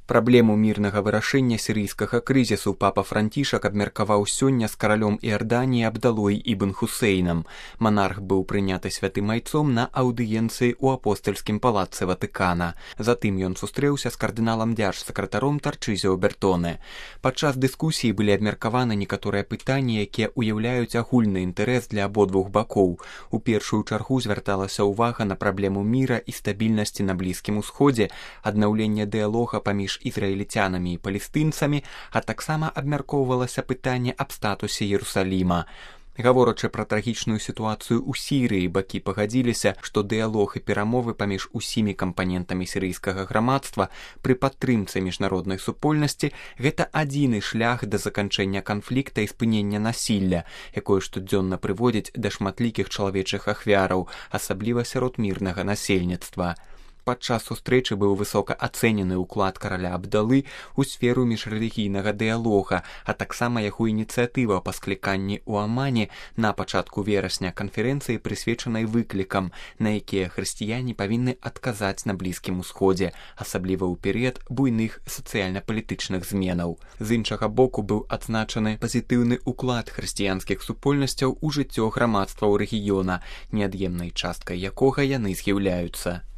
Праблему мірнага вырашэння сірыйскага крызісу папа Францішак абмеркаваў сёння з каралём Іорданіі Абдалой ібн Хусейнам. Манарх быў прыняты святым айцом на аўдыенцыі ў апостальскім палацы Ватыкана. Затым ён сустрэўся з кардыналам дзяржсакратаром Тарчызіо Бертоне. Падчас дыскусіі былі абмеркаваны некаторыя пытанні, якія ўяўляюць агульны інтарэс для абодвух бакоў. У першую чаргу звярталася ўвага на праблему міра і стабільнасці на Блізкім Усходзе, аднаўленне дыялога паміж ізраільцянамі і палестынцамі, а таксама абмяркоўвалася пытанне аб статусе Іерусаліма. Гаворачы пра трагічную сітуацыю ў Сірыі, бакі пагадзіліся, што дыялог і перамовы паміж усімі кампанентамі сірыйскага грамадства пры падтрымцы міжнароднай супольнасці гэта адзіны шлях да заканчэння канфлікта і спынення насілля, якое штодзённа прыводзіць да шматлікіх чалавечых ахвяраў, асабліва сярод мірнага насельніцтва. Падчас сустрэчы быў высока ацэнены ўклад караля Абдалы ў сферу міжрэлігійнага дыялога, а таксама яго ініцыятыва па скліканні ў Амане на пачатку верасня канферэнцыі, прысвечанай выклікам, на якія хрысціяне павінны адказаць на Блізкім Усходзе, асабліва ў перыяд буйных сацыяльна-палітычных зменаў. З іншага боку быў адзначаны пазітыўны ўклад хрысціянскіх супольнасцяў у жыццё грамадстваў рэгіёна, неад'емнай часткай якога яны з'яўляюцца.